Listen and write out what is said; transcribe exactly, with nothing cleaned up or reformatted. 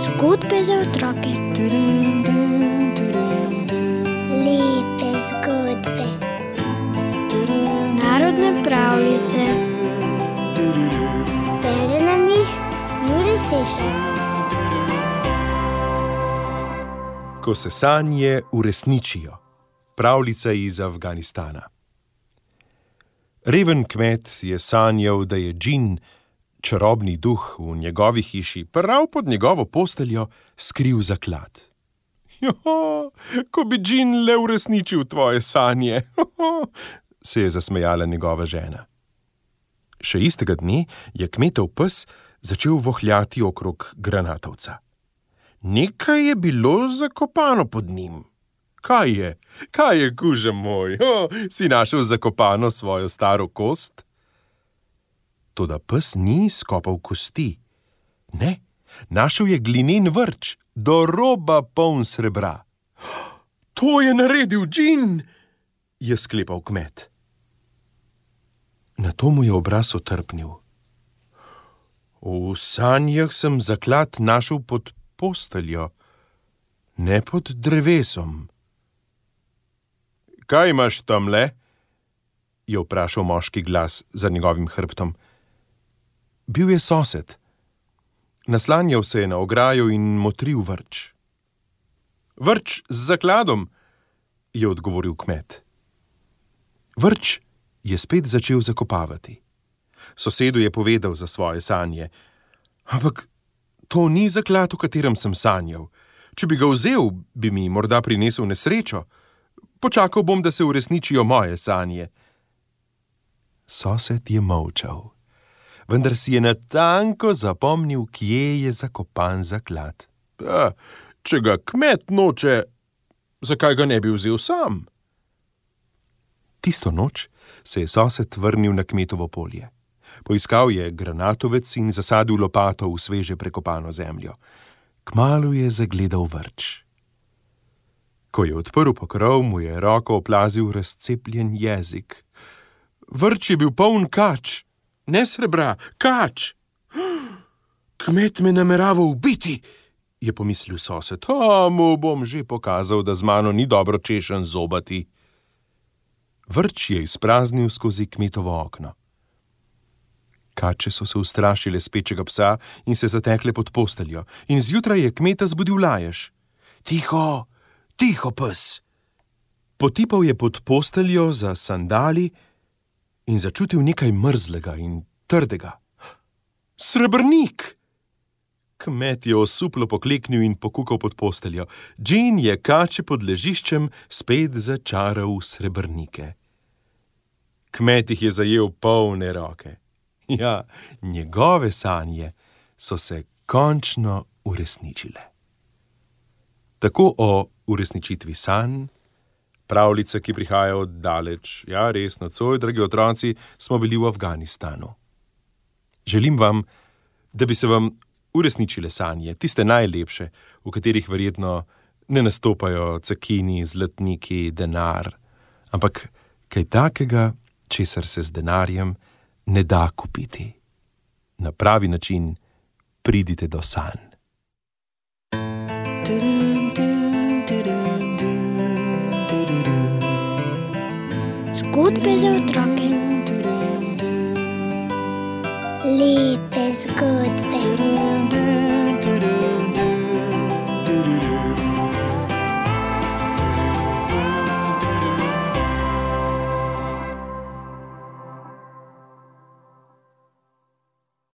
Zgodbe za otroke. Lepe zgodbe. Narodne pravljice. Bere nam jih Jure Sešar. Ko se sanje uresničijo. Pravljica iz Afganistana. Reven kmet je sanjal, da je džin, čarobni duh v njegovi hiši, prav pod njegovo posteljo skril zaklad. Joho, ko bi džin le uresničil tvoje sanje, joho, se je zasmejala njegova žena. Še istega dne je kmetov pes začel vohljati okrog granatovca. Nekaj je bilo zakopano pod njim. Kaj je? Kaj je, kuža moj? O, si našel zakopano svojo staro kost? Toda pes ni skopal kosti. Ne, našel je glinen vrč, do roba poln srebra. To je naredil džin, je sklepal kmet. Nato mu je obraz otrpnil. V sanjah sem zaklad našel pod posteljo, ne pod drevesom. Kaj imaš tamle? Je vprašal moški glas za njegovim hrbtom. Bil je sosed. Naslanjal se je na ograjo in motril vrč. Vrč z zakladom, je odgovoril kmet. Vrč je spet začel zakopavati. Sosedu je povedal za svoje sanje. Ampak to ni zaklad, v katerem sem sanjal. Če bi ga vzel, bi mi morda prinesel nesrečo. Počakal bom, da se uresničijo moje sanje. Sosed je molčal, vendar si je natanko zapomnil, kje je zakopan zaklad. A, če ga kmet noče, zakaj ga ne bi vzel sam? Tisto noč se je sosed vrnil na kmetovo polje. Poiskal je granatovec in zasadil lopato v sveže prekopano zemljo. Kmalu je zagledal vrč. Ko je odprl pokrov, mu je roko oplazil razcepljen jezik. Vrč je bil poln kač, ne srebra, kač. Kmet me namerava ubiti, je pomislil sosed. A, mu bom že pokazal, da z mano ni dobro češen zobati. Vrč je izpraznil skozi kmetovo okno. Kače so se ustrašile spečega psa in se zatekle pod posteljo, in zjutraj je kmeta zbudil lajež. Tiho, tiho, pes! Potipal je pod posteljo za sandali in začutil nekaj mrzlega in trdega. Srebrnik! Kmet je osuplo pokleknil in pokukal pod posteljo. Džin je kače pod ležiščem spet začaral v srebrnike. Kmet jih je zajel polne roke. Ja, njegove sanje so se končno uresničile. Tako o uresničitvi sanj, pravljice, ki prihaja od daleč, ja, res nocoj, dragi otroci, smo bili v Afganistanu. Želim vam, da bi se vam uresničile sanje, tiste najlepše, v katerih verjetno ne nastopajo cekini, zlatniki, denar, ampak kaj takega, česar se z denarjem ne da kupiti. Na pravi način pridite do sanj. Zgodbe za otroke. Lepe zgodbe.